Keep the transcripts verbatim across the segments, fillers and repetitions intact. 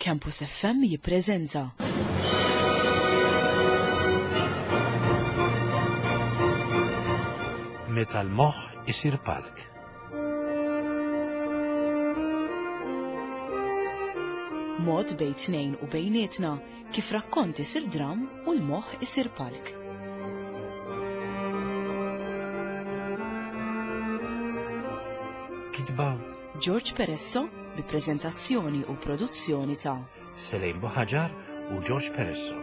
Campus F M jippreżenta Meta l-moħħ isir palk. Mod bejn tnejn u bejnietna kif rakkont isir dram u l-moħħ isir palk. Kitba George Peresso bi preżentazzjoni u produzzjoni ta' Selejn Buħaġar u George Peresso.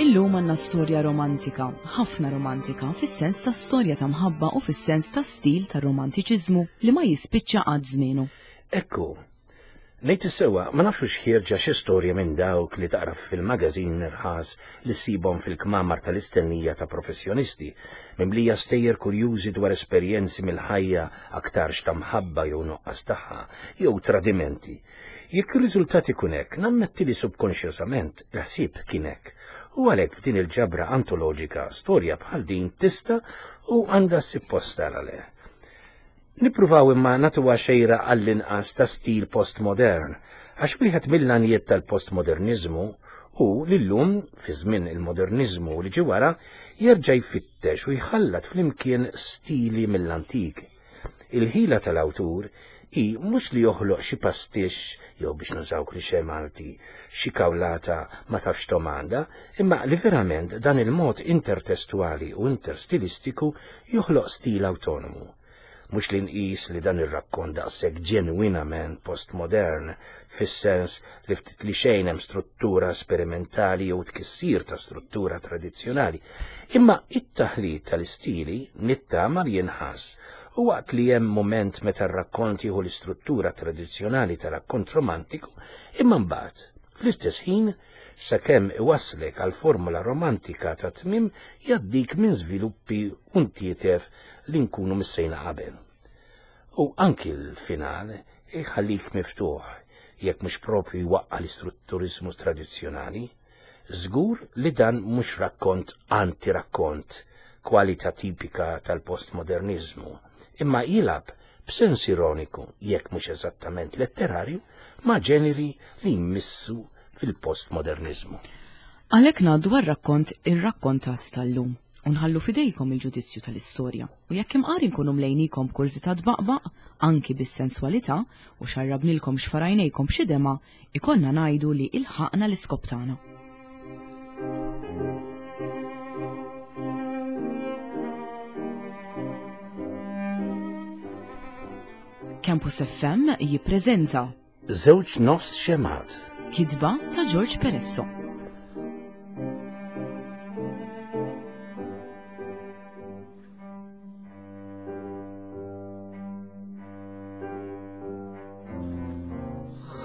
Illum għandna storja romantika, ħafna romantika, fis-sens ta' storja ta' mħabba u fis-sens ta' stil ta' romantiċiżmu li ma jispiċċa qatt żmienu. Ekku, ngħid is-sewwa, ma nafx x'ħierġa xi storja minn dawk li taqra fil-magażin irħas li ssibhom fil-kmamar tal-istennija ta' professjonisti, mimlija stejjer kurjużi dwar esperjenzi mill-ħajja, aktarx ta' mħabba jew nuqqas tagħha, jew tradimenti. Jekk ir-riżultat ikun hekk, nammetti li subkonxjosament il-ħsieb kien hekk. U għalhekk f'din il-ġabra antoloġika storja bħal din tista' u għandha ssib postha għalih. Nippruvaw imma nagħtuha xejra għall-inqas ta' stil postmodern, għax wieħed mill-għanijiet tal-postmodernizmu hu li llum, fi żmien il-modernizmu li ġie wara, jerġa' jfittex u jħallat flimkien stili mill-antik. Il-ħila tal-awtur hi mhux li joħloq xi pastix jew, biex nużaw klixe Malti, xi kawlata ma tafx domanda, imma li verament dan il-mod intertestuali u interstilistiku joħloq stil autonomu. Mhux li nqis li dan ir-rakkont daqshekk ġenwinament postmodern, fis-sens li ftit li xejn hemm struttura sperimentali jew tkissir ta' struttura tradizzjonali, imma it-taħlit tal-istili nittama li jinħass, u waqt li hemm moment meta r-rakkont jieħu l-istruttura tradizzjonali ta' rakkont romantiku, imma mbagħad fl-istess ħin, sakemm iwasslek għal formula romantika ta' tmiem, jgħaddik minn żviluppi u ntietef li nkunu missejna qabel. U anki l-final iħallik miftuħ, jekk mhux propju jwaqqa' l-istrutturizmu tradizzjonali. Żgur li dan mhux rakkont anti-rakkont, kwalità tipika tal-postmodernizmu, imma jilgħab b'sens ironiku, jekk mhux eżattament letterarju, ma' ġeneri li jmissu fil-postmodernizmu. Għalhekk ngħaddu għar-rakkont irrakkontat tal-lum u nħallu fidejkom il-ġudizzju tal-istorja. U jekk imqar inkunu mlejnikom b'kurżità tbaqbaq, anki bis-senswalità, u xarrabnilkom xfarajnejkom b'xi dema, ikollna ngħidu li ilħaqna l-iskop tagħna. Campus F M jippreżenta Żewġ nofs xemgħat. Kitba ta' George Peresso.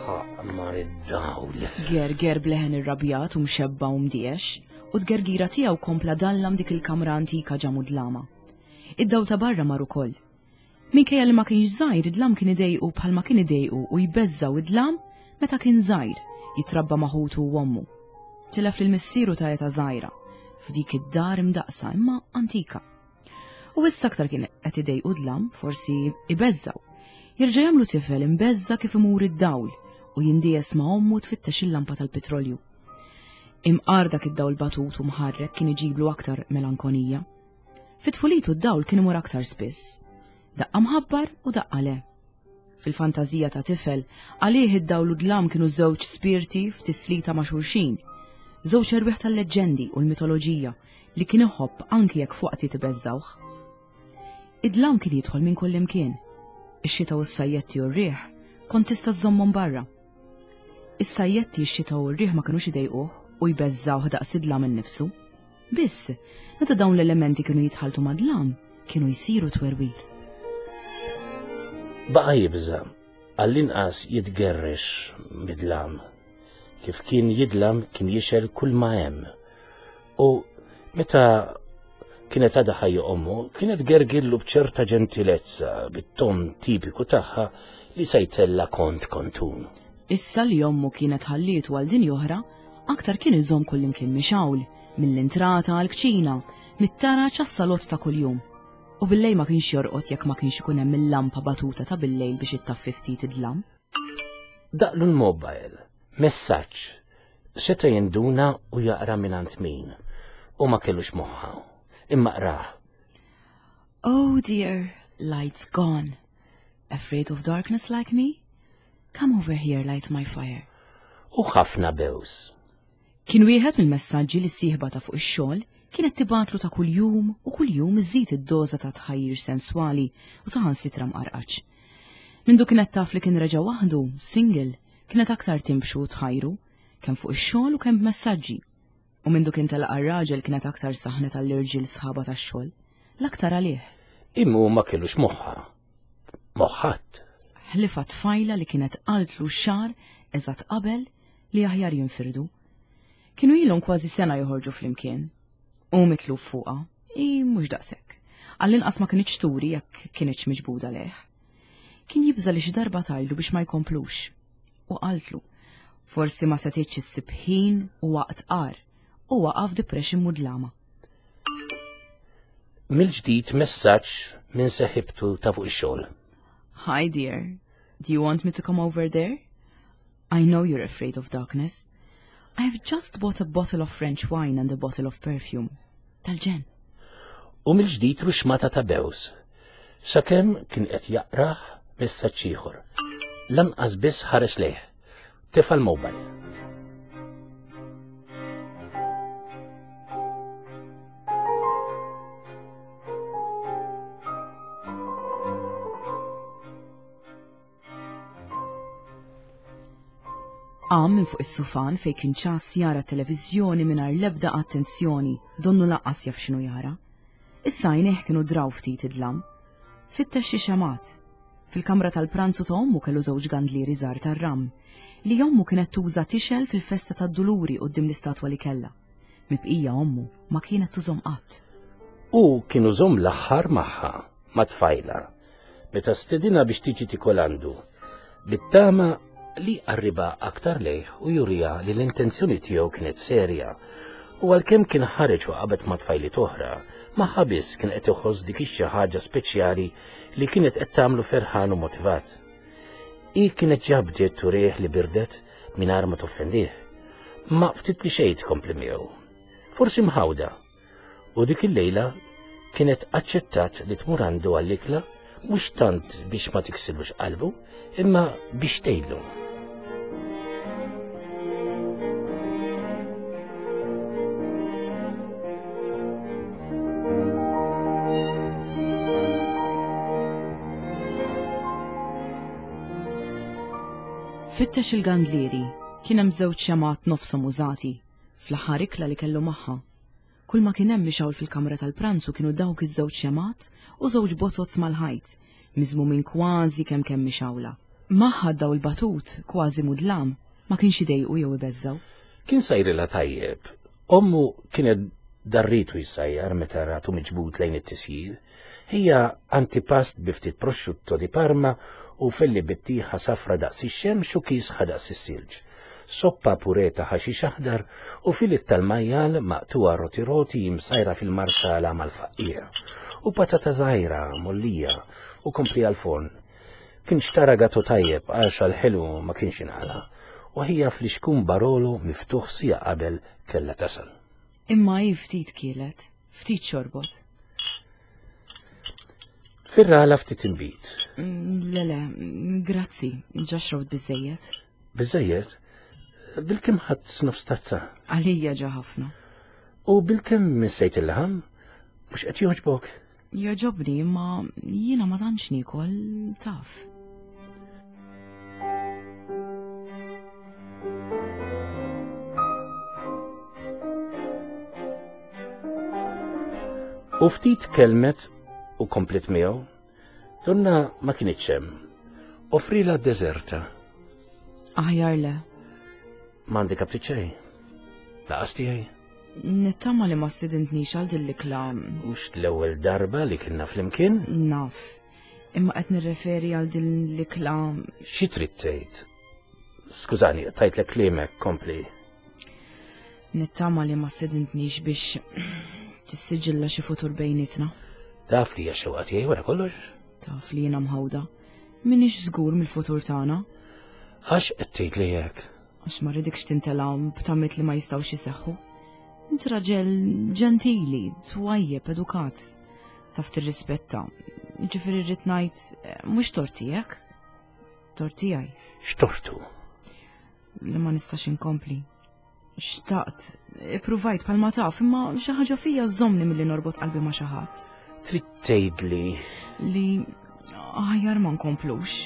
Ħaqmar id-dawl. Gerger bleħen irrabjat u mxebba u mdiex, u tgergira tiegħu kompla dallam dik il-kamra antika ġa mudlama. Id-dawl ta' barra mar ukoll. Minkejja li ma kienx żgħir, id-dlam kien idejqu bħalma kien idejqu u jbeżżaw id-dlam meta kien żgħir, jitrabba ma' ħutu u ommu. Tilef lil missieru ta' età żgħira, f'dik id-dar imdaqsa imma antika. U issa aktar kien qed idejqu dlam, forsi ibeżżaw. Jerġa' jagħmlu tifel imbeżża kif imur id-dawl u jindies ma' ommu tfittex il-lampa tal-petrolju. Imqar dak id-dawl batut u mħarrek kien iġiblu aktar melankonija. Fit-tfulitu d-dawl kien imur aktar spiss. Daqqa mħabbar u daqqa le. Fil-fantażija ta' tifel, għalih id-dawl u dlam kienu żewġ spirti f'tislita ma' xulxin, żewġ erwieħ tal-leġġendi u l-mitoloġija li kien iħobb anki jekk fuqti tibeżżawh. Id-dlam kien jidħol minn kull imkien. Ix-xita u s-sajjetti u r-riħ kont tista' żżommhom barra. Is-sajjetti, x-xita u r-riħ ma kinux idejquh u jbeżżawh daqs id-dlam innifsu. Biss, meta dawn l-elementi kienu jitħaltu mad-dlam, kienu jsiru twerwir. Baqa' jibża, għall-inqas jitgerrex mid-dlam. Kif kien jidlam kien jixgħel kull ma hemm. U meta kienet għadha ħajja ommu, kienet gergillu b'ċerta ġentilezza, bit-ton tipiku tagħha, li se jtella' kont kontun. Issa li ommu kienet ħallietu għal din oħra, aktar kien iżomm kullimkien mixgħul, mill-intrata għall-kċina, mit-taraġ għas-salott ta' kuljum. U billejl ma kienx jorqod jekk ma kienx ikun hemm il-lampa batuta ta' billejl biex ittaffi ftit id-dlam. Daqqlu l-mobile, messaġġ, seta' jinduna u jaqra mingħand min, u ma kellux moħħa, imma qrah. Oh dear, light's gone. Afraid of darkness like me? Come over here, light my fire. U ħafna bews. Kien wieħed mill-messaġġi li sieħba ta' fuq ix-xogħol kienet tibgħatlu ta' kuljum u kuljum iżid id-doża ta' tħajjir senswali u saħansitra mqarqaċ. Mindu kienet taf li kien reġa' waħdu, single, kienet aktar timbxu u tħajru, kemm fuq ix-xogħol u kemm b'messaġġi. U mindu kien telaq ar-raġel kienet aktar saħnet għall-irġiel sħaba tax-xogħol, l-aktar għalih. Imma ma kellux moħħa. Moħħat. Ħlifa tfajla li kienet qaltlu xahar eżatt qabel li aħjar jinfirdu. Kienu ilhom kważi sena joħorġu flimkien. U mitluf fuqha, i mhux daqshekk. Għall-inqas ma kinitx turi jekk kinitx miġbuda lejh. Kien jibża li xi darba tgħidlu biex ma jkomplux. U qaltlu, forsi ma setgħetx issib ħin u waqt qar u waqa' f'depression mudlama. Mill-ġdid messaġġ minn seħibtu ta' fuq ix-xogħol. Hi dear, do you want me to come over there? I know you're afraid of darkness. I have just bought a bottle of French wine and a bottle of perfume. Tal-ġenn. U mill-ġdid ruxmata ta' bews. Sakemm kien qed jaqrah messaġġ ieħor. Lanqas biss ħares lejh. Tefa' l-mobile. Qam minn fuq is-sufan fejn kien ċas jara televiżjoni mingħajr l-ebda attenzjoni, donnu lanqas jaf x'inhu jara. Issa għajnejh kienu draw ftit id-dlam. Fittex xi xemgħat. Fil-kamra tal-pranzu ta' ommu kellu żewġ gandlieri żgħar tar-ram, li ommu kienet tuża tixgħel fil-festa tad-Duluri quddiem l-istatwa li kellha. Mibqija ommu ma kienet tużhom qatt. U kienu żomm l-aħħar magħha, ma' tfajla, meta stedina biex tiġi tikol għandu. Bit-tama li qarriba aktar lejh u jurija li l-intenzjoni tiegħu kienet serja. U għalkemm kien ħareġ u qabed ma' tfajliet oħra, magħha biss kien qed iħoss dik ix-xi ħaġa speċjali li kienet qed tagħmlu ferħan u motivat. Hi kienet ġa bdiet turih li birdet mingħajr ma toffendih. Ma ftit li xejn tkompli miegħu. Forsi mħawda. U dik il-lejla kienet aċċettat li tmur għandu għall-ikla mhux tant biex ma tiksirlux qalbu, imma biex tgħidlu. Fittex il-gandlieri, kien hemm żewġ xemgħat nofshom użati, fl-aħħar ikla li kellu magħha. Kull ma kien hemm mixgħul fil-kamra tal-pranzu kienu dawk iż-żewġ xemgħat u żewġ bozzots mal-ħajt, miżmumin kważi kemm kemm mixgħula. Magħha daw il-batut kważi mudlam, ma kienx idejqu jew ibeżżaw. Kien sajrilha tajjeb. Ommu kienet darritu jsajjar meta ratu miġbud lejn it-tisjir. Hija antipast bi ftit prosciutto di Parma u felli bittieħa safra daqs ix-xemx u kiesħa daqs is-silġ. Soppa purè ta' ħaxix aħdar u filet tal-majjal maqtuha roti roti msajra fil-marsala mal-faqqiegħa. U patata żgħira mollija u kompli għal-forn. Kien xtara gatu tajjeb għax għal-ħelu ma kienx inqala. U hija fl-ixkun Barolo miftuħ sija qabel kellha tasal. Imma hi ftit kielet, ftit xorbot. Firrala ftit inbid. Mm, Le le, grazzi, ġa xrobt biżejjed. Biżejjed? Bilkemm ħadt nofs tazza. Għalija ġa ħafna. U bilkemm missejt il-laħam? Mhux qed jogħġbok? Jogħġobni, imma jiena ma tantx niekol taf. U ftit kelmet u komplet miegħu. Donna ma kienitx hemm. Offrila deżerta. Aħjar le. M'għandek aptit xejn. Laqas tiegħi. Nittama li ma stidintnix għal din l-ikla. Mhux l-ewwel darba li kienna flimkien? Naf. Imma qed nirreferi għal din l-ikla. Xi trid tgħid? Skużani, tajtlek kliemek, kompli. Nittama li ma stedintnix biex tissiġilla xi futur bejnietna. Taf li hija xewqa tiegħi wara kollox? Taf li jiena mħawda. Minix żgur mill-futur tagħna. Għax qed tgħid li hekk? Għax ma rridikx tintela b'tamiet li ma jistgħux iseħħu. Int raġel ġentili, twajjeb, edukat, taf tirrispetta. Ġifieri rrid ngħid mhux tort tiegħek. Tort tiegħi. X'tortu? Li ma nistax inkompli. Xtaqt, ippruvajt bħalma taf, imma xi ħaġa fija żommni milli norbot qalbi ma' xi ħadd. Trid tgħidli li aħjar ma nkomplux.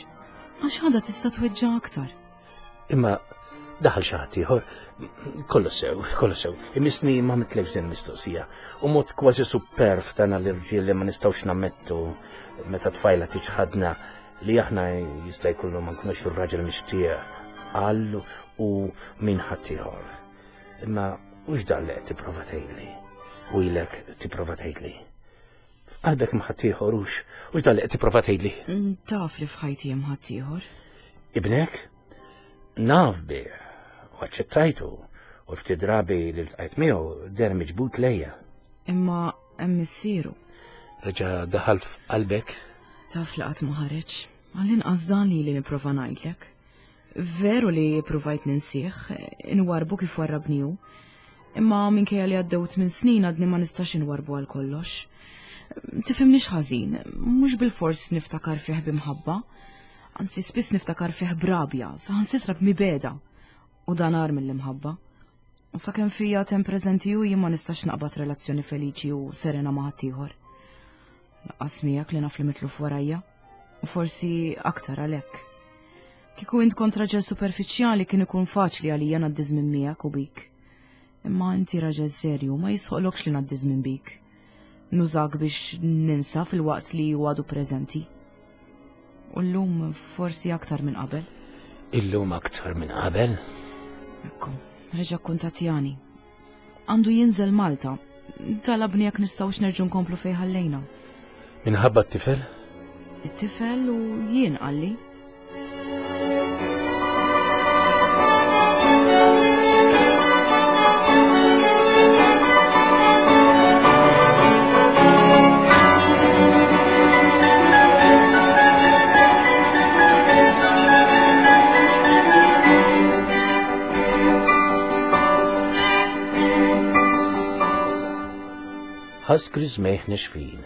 Għax ħada tista' tweġġa' aktar. Imma daħal xi ħadd ieħor, kollu sew, kollu sew. Imisni ma mitlekx din mistoqsija. U mod kważi superf tagħna l-irġiel li ma nistgħux nammettu meta tfajla tiċħadna li aħna jista' jkollu ma nkunux ir-raġel mixtieq għal u min ħadd ieħor. Imma hux dan li qed tipprova tgħidli. U ilek tipprova tgħidli. F'qalbek ma ħadd ieħor hux, hux dan li qed tipprova tgħidli. Taf li f'ħajti hemm ħadd ieħor. Ibnek? Naf bih u aċċettajtu u ftit drabi li ltqajt miegħu deher miġbud lejja. Imma hemm missieru. Reġa' daħal f'qalbek? Taf li qatt ma ħareġ. Għall-inqas dan li li nipprova ngħidlek. Veru li provajt ninsih, inwarbu kif warrabni hu. Imma minkejja li għaddew tmien snin għadni ma nistax inwarbu għal kollox. Tifhimnix ħażin, mhux bilfors niftakar fih b'imħabba. Anzi, spiss niftakar fih b'rabja, saħansitra b'mibeda. U dan agħar mill-imħabba. U sakemm fija tem preżenti hu jien ma nistax naqbad relazzjoni feliċi u serena ma' ħaddieħor. Lanqas miegħek li naf li mitluf warajja. U forsi aktar għalhekk. Kieku int kont raġel superfiċjali kien ikun faċli għalija ngħaddi żmien miegħek u bik. Imma inti raġel serju ma jisħoqlokx li ngħaddi żmien bik. Nużak biex ninsa fil-waqt li hu għadu preżenti. U llum forsi aktar minn qabel. Illum aktar minn qabel? Ekku, reġa' kkuntattjani. Għandu jinżel Malta. Talabni jekk nistgħux nerġgħu nkomplu fejn ħallejna. Minħabba t-tifel? It-tifel u jien qalli. Ħass griżmejh nixfin,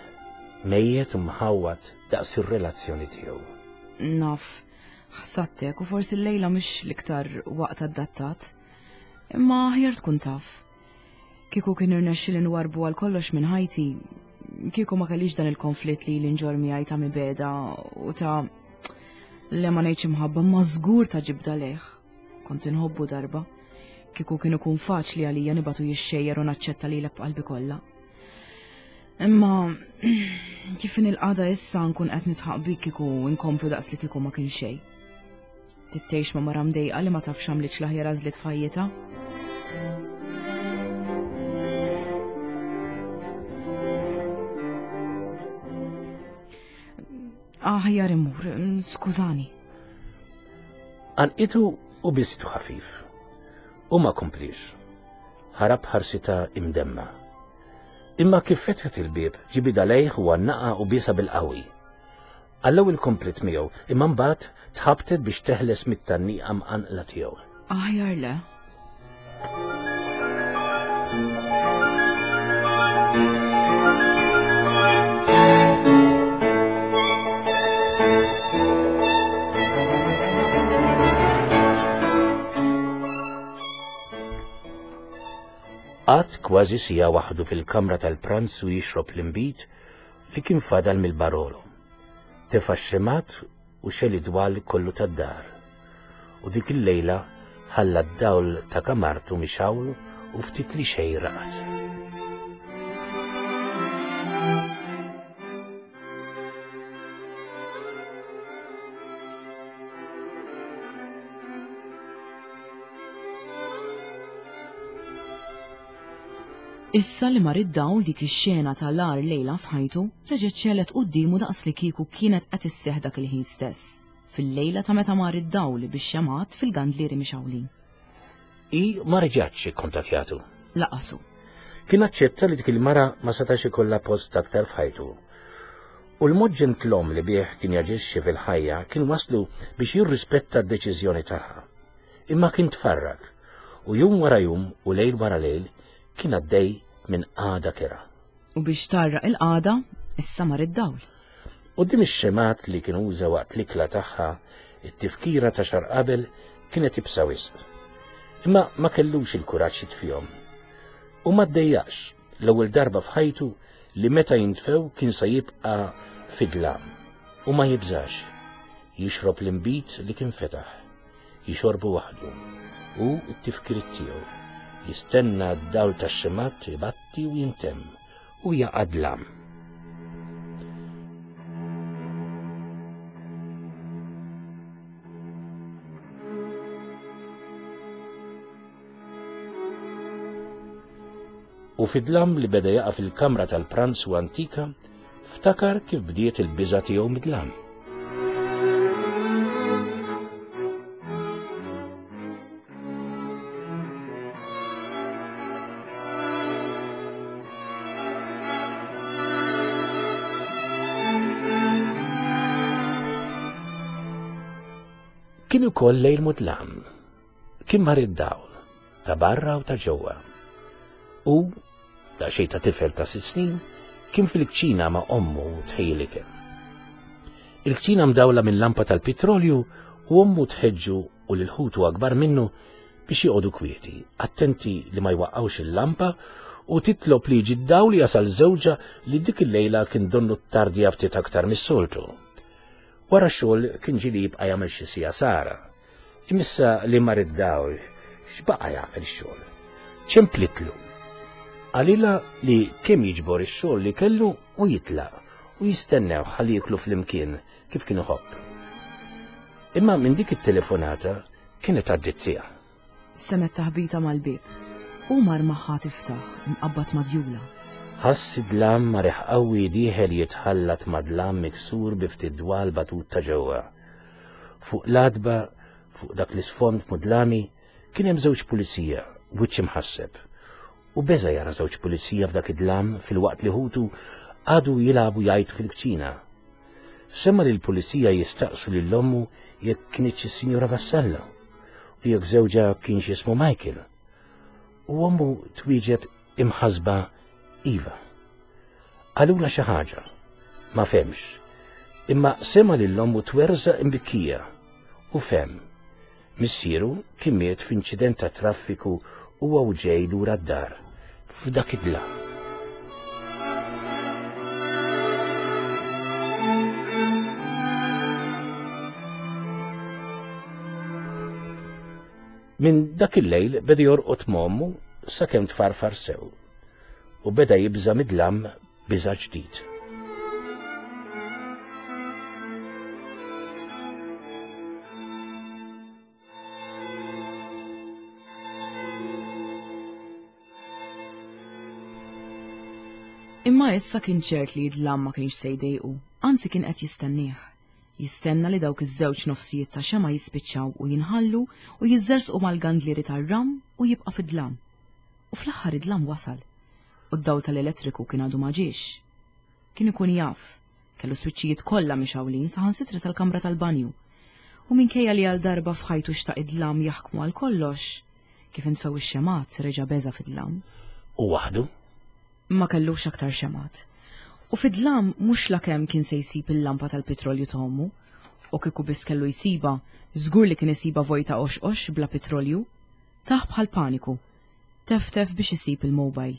mejjet u mħawwad daqs ir-relazzjoni tiegħu. Naf, ħsattek u forsi l-lejla mhix l-iktar waqt adattat. Imma aħjar tkun taf. Kieku kien irnexxi li nwarbu għal kollox minn ħajti, kieku ma kellix dan il-konflitt li l-inġor miegħi ta' mibeda u ta' le ma ngħidx imħabba ma żgur ta' ġibda lejh. Kont inħobbu darba. Kieku kien ikun faċli għalija nibatu jixxejjer u naċċetta lilek b'qalbi kollha. Imma kif in il-qagħda issa nkun qed nitħaq bik kieku nkomplu daqs li kieku ma kien xejn. Tittejx ma' mara mdejqa li ma tafx għamlitx l-aħjar għażliet f'ħajjitha. Aħjar imur, skużani. Għanqitu u bisitu ħafif. U ma komplix. Ħarab ħarsita imdemma. Imma kif fetħet il-bieb, ġibida lejh u għannaqa u bisa bil-qawwi. Għall-ewwel komplet miegħu, imma mbagħad tħabtet biex teħles mit-tgħanniqa mqanqla tiegħu. Aħjar le. Qatt kważi sija waħdu fil-kamra tal-pranzu jixrob l-imbit li kien fadal mill-Barolo. Tefa' x-xemat u xeli dwal kollu tad-dar. U dik il-lejla ħalla d-dawl ta' kamartu mixawl u ftit li xejn raqad. Issa li mar id-dawl dik ix-xena tal-agħar lejla f'ħajtu reġgħet xegħlet quddiemu daqs li kieku kienet qed isseħħ dak il-ħin stess, fil-lejla ta' meta mar id-dawl bix-xemgħat fil-gandlieri mixgħulin. Hi ma reġgħetx ikkontattjatu. Laqasu. Kien aċċetta li dik il-mara ma setax ikollha post aktar f'ħajtu. U l-mod ġentlom li bih kien jaġixxi fil-ħajja kien waslu biex jirrispetta d-deċiżjoni tagħha. Imma kien tfarrak u jum wara jum u lejl wara lejl kien għaddej minn qagħda kerha. U biex tarraq il-qagħda, issa mar id-dawl. Quddiem ix-xemgħat li kien uża waqt l-ikla tagħha, it-tifkira ta' xahar qabel kienet ibsa wisq. Imma ma kellux il-kuraġġ jitfihom. U ma ddejjaqx l-ewwel darba f'ħajtu li meta jintfew kien se jibqa' fid-dlam u ma jibżax. Jixrob l-inbid li kien fetaħ, jixorbu waħdu u t-tifkiriet tiegħu. Jistenna d-dawl tax-xemgħat ibatti u jintemm u jaqa' dlam. U fid-dlam li beda jaqa' fil-kamra tal-pranzu antika, ftakar kif bdiet il-biża' tiegħu mid-dlam. Kien ukoll lejl mudlam, kien mar id-dawl, ta' barra u ta' ġewwa. U, daqsxejn ta' tifel ta' sitt snin, kien fil-kċina ma' ommu tħejji l-ikel. Il-kċina mdawla minn lampa tal-petrolju u ommu tħeġġu u lil ħutu akbar minnu biex joqogħdu kwieti, attenti li ma jwaqqgħux il-lampa u titlob li jiġi d-dawl jasal żewġha li dik il-lejla kien donnu tardja ftit aktar mis-soltu. Wara xogħol kien ġieli jibqa' jagħmel xi siegħa sara. Imissa li mar id-dawl, x'baqa' jagħmel ix-xogħol? Ċemplitlu. Qalilha li kemm jiġbor ix-xogħol li kellu u jitlaq u jistennew ħalli jieklu flimkien kif kien iħobb. Imma minn dik it-telefonata kienet għaddiet siegħa. Semet taħbita mal-bieb. U mar magħha tiftaħ imqabbad madjula. Ħass id-dlam ma' riħ qawwi dieħel jitħallat ma' dlam miksur bi ftit dwal batut ta' ġewwa. Fuq l-għatba, fuq dak l-isfond mudlami, kien hemm żewġ pulizija, wiċċ imħasseb. U beża' jara żewġ pulizija f'dak id-dlam filwaqt li ħutu għadu jilagħbu jgħajtu fil-kċina. Semma li l-pulizija jistaqsu lil ommu jekk kinitx is-Sinjura Vassallo u jekk żewġha kienx jismu Michael. U ommu twieġeb imħasba iva. Qalula xi ħaġa, ma femx, imma sema lil ommu twerżaq imbikkija u fem. Missieru kien miet f'inċident ta' traffiku huwa u ġej lura d-dar f'dak id-dlam. Minn dak il-lejl beda jorqod m'ommu sakemm tfarfar sew u beda jibża' mid-dlam biża' ġdid. Imma issa kien ċert li d-dlam ma kienx se jdejqu, anzi kien qed jistennieh. Jistenna li dawk iż-żewġ nofsijiet ta' xema jispiċċaw u jinħallu u jiżżersqu mal-gandlieri tar-ram u jibqa' fid-dlam. U fl-aħħar id-dlam wasal. U d-dawl tal-elettriku kien għadu ma ġiex. Kien ikun jaf, kellu swiċċijiet kollha mixgħulin saħansitra tal-kamra tal-banju. U minkejja li għal darba f'ħajtu xtaq id-dlam jaħkmu għal kollox, kif intfew ix-xemgħat reġa' beża' fid-dlam. U waħdu? Ma kellux aktar xemgħat. U fid-dlam mhux lakemm kien se jsib il-lampa tal-petrolju ta' ommu, u kieku biss kellu jsiba, żgur li kien isiba vojta oxqox bla petrolju. Taħ bħal paniku, teftef biex isib il-mobile.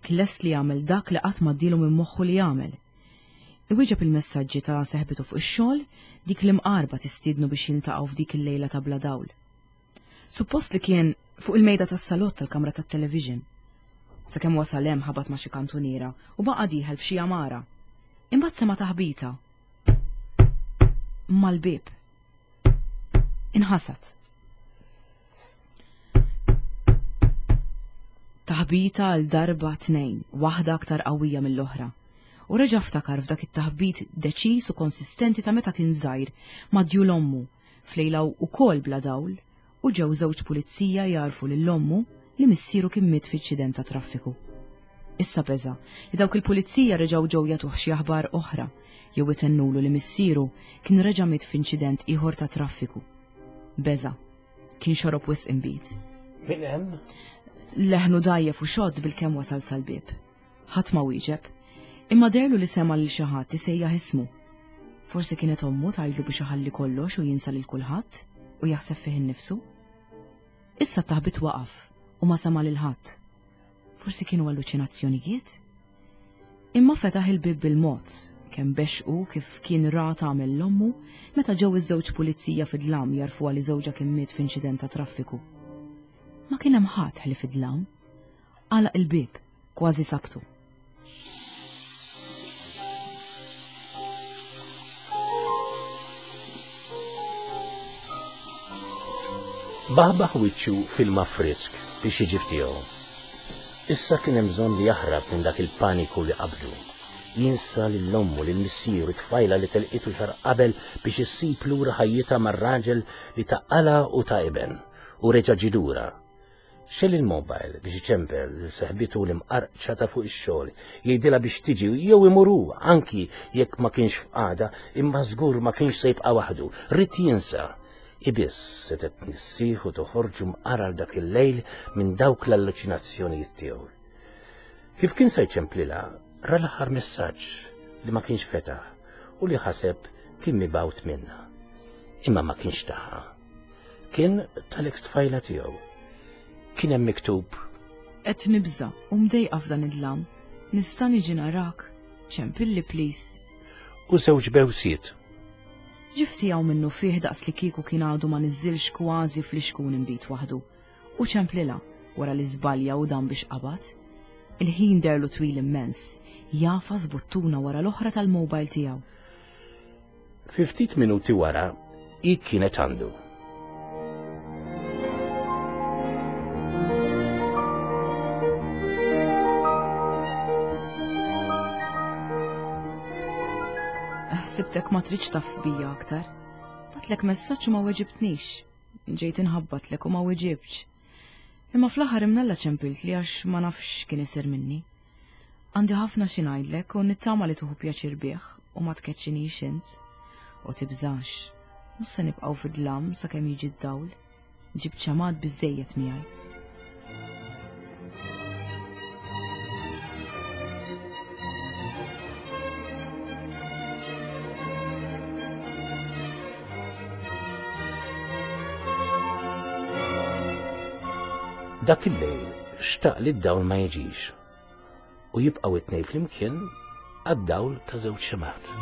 Kien lest li jagħmel dak li qatt ma ddielu minn moħħu li jagħmel. Iwieġeb il-messaġġi ta' seħbitu fuq ix-xogħol, dik l-imqarba tistiednu biex jiltaqgħu f'dik il-lejla ta' bla dawl. Suppost li kien fuq il-mejda tas-salott tal-kamra tat-television. Sakemm wasal hemm ħabat ma' xi kantuniera u baqa' dieħel f'xi għamara. Imbagħad sema' taħbita. Mal-bieb. Inħasad. Taħbita għal darba tnejn, waħda aktar qawwija mill-oħra. U reġa' ftakar f'dak it-taħbit deċiż u konsistenti ta' meta kien żgħir ma' djul ommu, f'lejla wkoll bla dawl, u ġew żewġ pulizija jagħrfu lil ommu li missieru kien miet f'inċident ta' traffiku. Issa beża' li dawk il-pulizija reġgħu ġew jagħtuh xi aħbar oħra jew itennulu li missieru kien reġa' miet f'inċident ieħor ta' traffiku. Beża' kien xorob wisq inbid. Min hemm? Leħnu dgħajjef u xott bilkemm wasal sal-bieb. Ħadd ma wieġeb, imma deherlu li sema' lil xi ħadd isejjaħ ismu. Forsi kienet ommu tgħidlu biex iħalli kollox u jinsa lil kulħadd u jaħseb fih innifsu. Issa t-taħbit waqaf u ma sema' lil ħadd. Forsi kienu alluċinazzjonijiet? Imma fetaħ il-bieb bil-mod, kemm bexqu kif kien ra tagħmel l-ommu meta ġew iż-żewġ pulizija fid-dlam jagħrfuha li żewġha kien miet f'inċident ta' traffiku. Ma kien hemm ħadd ħlief id-dlam. Għalaq il-bieb, kważi sabtu. Baħbaħ wiċċu f'ilma frisk biex jiġi f'tiegħu. Issa kien hemm bżonn li jaħrab minn dak il-paniku li qabdu. Jinsa lil ommu, lil missieru, it-tfajla li telqitu xahar qabel biex issib lura ħajjitha mar-raġel li taqqalha u ta' iben u reġa' ġie lura. Xegħel il-mobile biex iċempel lil seħbitu l-imqarqċa ta' fuq ix-xogħol, jgħidilha biex tiġi jew imur hu, anki jekk ma kienx f'qagħda, imma żgur ma kienx se jibqa' waħdu, ried jinsa. Ibiss setgħet tnissih u toħorġu mqarar dak il-lejl minn dawk l-alluċinazzjonijiet tiegħu. Kif kien se jċemplilha, ra l-aħħar messaġġ li ma kienx fetaħ u li ħaseb kien mibgħut minnha. Imma ma kienx tagħha. Kien tal-ex tfajla tiegħu. Kien hemm miktub: Qed nibża' u mdejqa f'dan id-dlam. Nista' niġi narak? Ċempilli please. U żewġ bewsiet. Ġie f'tiegħu minnufih daqs li kieku kien għadu ma niżilx kważi fl-ixkun inbid waħdu. U ċemplilha wara li żbalja u dan biex qabad. Il-ħin deherlu twil immens, jagħfas buttuna wara l-oħra tal-mobile tiegħu. Fi ftit minuti wara, hi kienet għandu. Ħsibtek ma tridx taf bija aktar. Bgħattlek messaġġ u ma weġibtnix. Ġejt inħabbatlek u ma weġibtx. Imma fl-aħħar imnalla ċempilt li għax ma nafx kien isir minni. Għandi ħafna xi ngħidlek u nittama li tuħu pjaċir bih u ma tkeċċinix int. U tibżax. Mhux se nibqgħu fid-dlam sakemm jiġi d-dawl. Ġib ċamad biżejjed miegħi. Dak il-lejl xtaq li d-dawl ma jiġix u jibqgħu it-tnejn flimkien għad-dawl ta' żewġ xemgħat.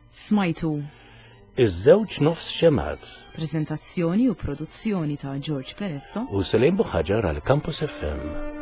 Smajtu Iż-żewġ nofs xemgħat Prezentazzjoni u produzzjoni ta' George Peresso u Selim Buħaġar għal Campus F M.